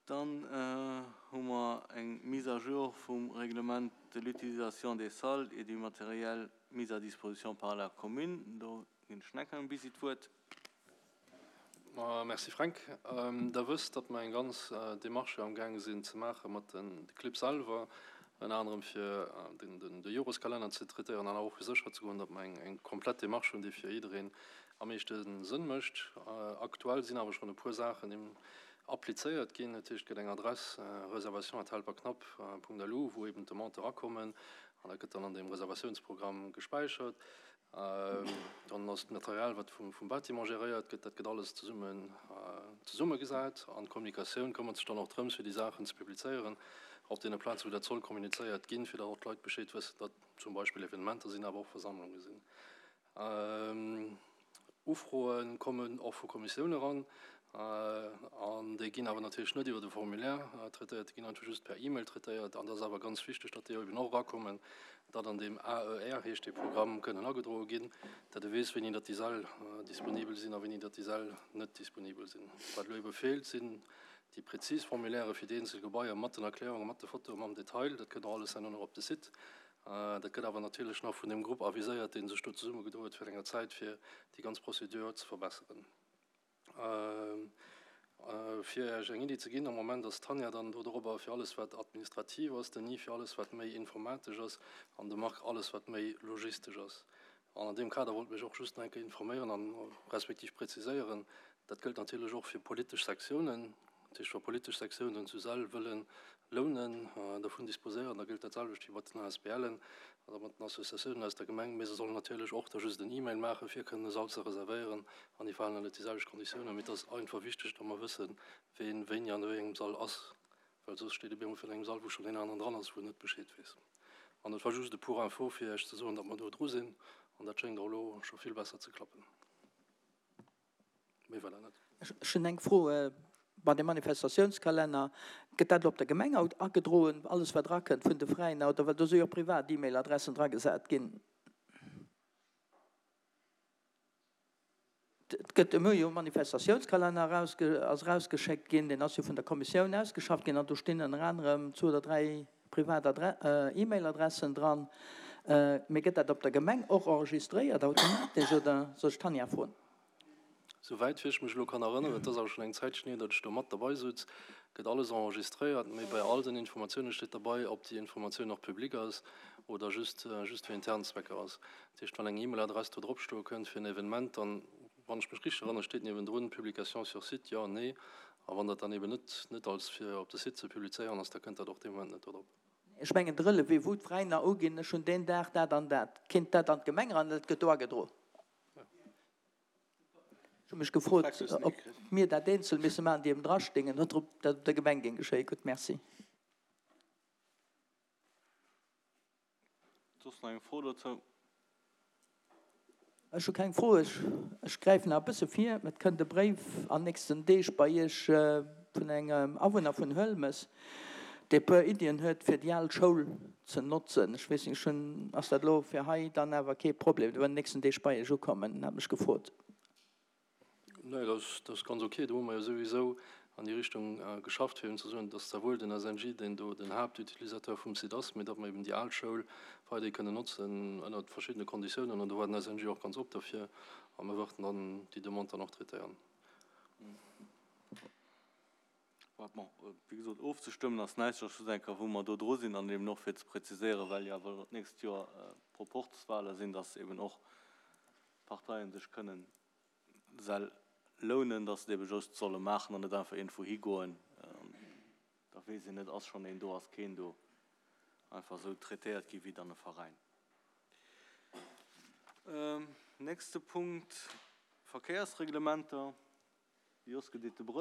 Dann hu mer eng Mise à jour vum Règlement de l'utilisation des salles et du matériel mis à disposition par la commune. Do ginn ech nach engem Bisi d'Wuert. Merci Fränk. Der wësst, datt mer eng ganz Démarche amgaange sinn ze maache mat de Clibb selwer, ënner anerem fir de Joreskalenner ze traitéieren an awer och fir sécher ze goen, datt mer eng komplett Démarche hunn, déi fir jiddereen am meeschte Sënn mécht. Aktuell sinn awer schonn e puer Saachen applizéiert ginn. Dat heescht, et gëtt eng Adress reservation@helperknapp.lu, wou eben d'Demandë erakommen an dat gëtt dann an deem Reservatiounsprogramm gespäichert. Dann ass d'Material, wat vum Bâtiment geréiert gëtt, dat gëtt alles zesummen zesummegesat. An d'Kommunikatioun këmmert sech dann och drëms, fir déi Saachen ze publizéieren op deene Plazen, wou dat soll kommunizéiert ginn, fir datt och d'Leit Bescheed wëssen, datt zum Beispill Evenementer sinn, awer och Versammlunge sinn. Ufroe kommen och vu Kommissioune eran, an déi ginn awer natierlech net iwwer de Formulaire traitéiert, déi ginn einfach just per E-Mail traitéiert. An dat ass awer ganz wichteg, datt déi eben och erakommen, datt an deem AER, heescht dee Programm, kënnen agedroe ginn, datt e weess, wéini datt déi Säll disponibel sinn a wéini datt déi Säll net disponibel sinn. Wat elo ebe feelt, sinn déi prezis Formulairë fir déi eenzel Gebaier mat den Erklärungen, mat de Fotoen, mam Detail. Dat kënnt och alles herno nach op de Site. Dat gëtt awer natierlech nach vun deem Grupp aviséiert, dee sech do zesummegedo huet virun enger Zäit, fir déi ganz Procédure ze verbesseren. Fir Iech eng Iddi ze ginn, am Moment ass d'Tanja dann do dorobber fir alles, wat administrativ ass, den Yves fir alles, wat méi informatesch ass an de Marc alles, wat méi logistesch ass. An an deem Kader wollt mech och just nach eng Kéier informéieren an respektiv präziséieren, dat gëllt natierlech och fir politesch Sektiounen. Dat heescht, wa politesch Sektiounen zu Sàrl wëlle lounen, dervun disposéieren, da gëllt dat selwecht wéi mat den ASBLen oder mat den Associatiounen aus der Gemeng. Mee se sollen natierlech och da just en E-Mail maachen, fir kënnen e Sall ze reservéieren an déi falen ënnert déi selwecht Konditiounen. Mee et ass einfach wichteg, datt mer wëssen, ween wéini an wéi engem Sall ass. Well soss steet e bemol virun engem Sall, wou schonn een aneren dran ass, wou en net Bescheed weess. An et war just e pour info, fir Iech ze soen, datt mer do dru sinn. An dat schéngt och elo scho vill besser ze klappen. Méi war dat net. Ech hunn eng Fro, Bei dem Manifestatiounskalenner, gëtt dat elo op der Gemeng agedroen, alles wat erakënnt vun de Veräiner, oder well do si jo och privat E-Mail-Adressen dragesat ginn? Et gëtt elo jo e Manifestatiounskalenner eraus, ass erausgeschéckt ginn, deen ass jo vun der Kommissioun ausgeschafft ginn an do stinn ënner anerem zwou oder dräi privat E-Mail-Adressen dran. Mee gëtt dat op der Gemeng och enregistréiert automatesch oder soll ech d'Tanja froen? Souwäit wéi ech mech elo kann erënneren, et ass awer schonn eng Zäitchen hier, datt ech do mat derbei sutz, gëtt alles enregistréiert, mee bei all den Informatioune steet derbei, ob déi Informatioun och public ass oder just just fir intern Zwecker ass. Dat heescht, wann eng E-Mail-Adress do drop stoe kënnt fir en Evenement, dann, wann ech mech richteg erënnere, steet niewendrun Publication sur site, jo, nee. A wann dat dann eben net net als fir op de Site ze publizéieren ass, da kënnt dat och dee Moment net do drop. Ech mengen de Relevé, wou d'Veräiner uginn, ech hunn deen Dag dat an dat, kinnt dat an d'Gemeng eran, dat gëtt do agedroen. Ech hu mech gefrot, ob mir dat eenzel misse maachen, déi eben drastingen, oder ob dat op der Gemeng géing geschéien. Gutt, Merci. Soss nach eng Fro dozou? Ech hu keng Fro. Ech gräifen nach e bësse vir. Et kënnt e Bréif an nächsten Deeg bei Iech vun engem Awunner vun Huelmes, dee e puer Iddien huet, fir déi al Schoul ze notzen. Ech weess net, ech hunn, ass dat elo fir hei dann awer kee Problem? Dee wëll an den nächsten Deeg bei Iech ukommen, hat mech gefrot. Nee, dat ass ganz ok. Do hu mer jo souwisou an déi Richtung geschafft, fir eben ze soen, dass zwar wuel den SNJ, deen do den Haaptutilisateur vum Site ass, mee datt mer eben déi al Schoul weiderhi kënnen notzen ënnert verschiddene Konditiounen. An do war den SNJ och ganz op derfir. A mir wërten dann déi Demande dann och traitéieren. Bon, wéi gesot, ofzestëmmen ass näischt, ass just eng Kéier, wou mer do dru sinn an eben och fir ze präziséieren, well jo awer elo d'nächst Joer Proporzwahle sinn, dass eben och d'Parteien sech kënnen Säll lounen, dass se et ebe just solle maachen an net einfach iergendwou higoen an da weess een net, ass schonn een do, ass keen do, einfach esou traitéiert gi wéi dann e Veräin. Nächste Punkt, Verkéiersreglementer. Jos, gëtt et de Brëll.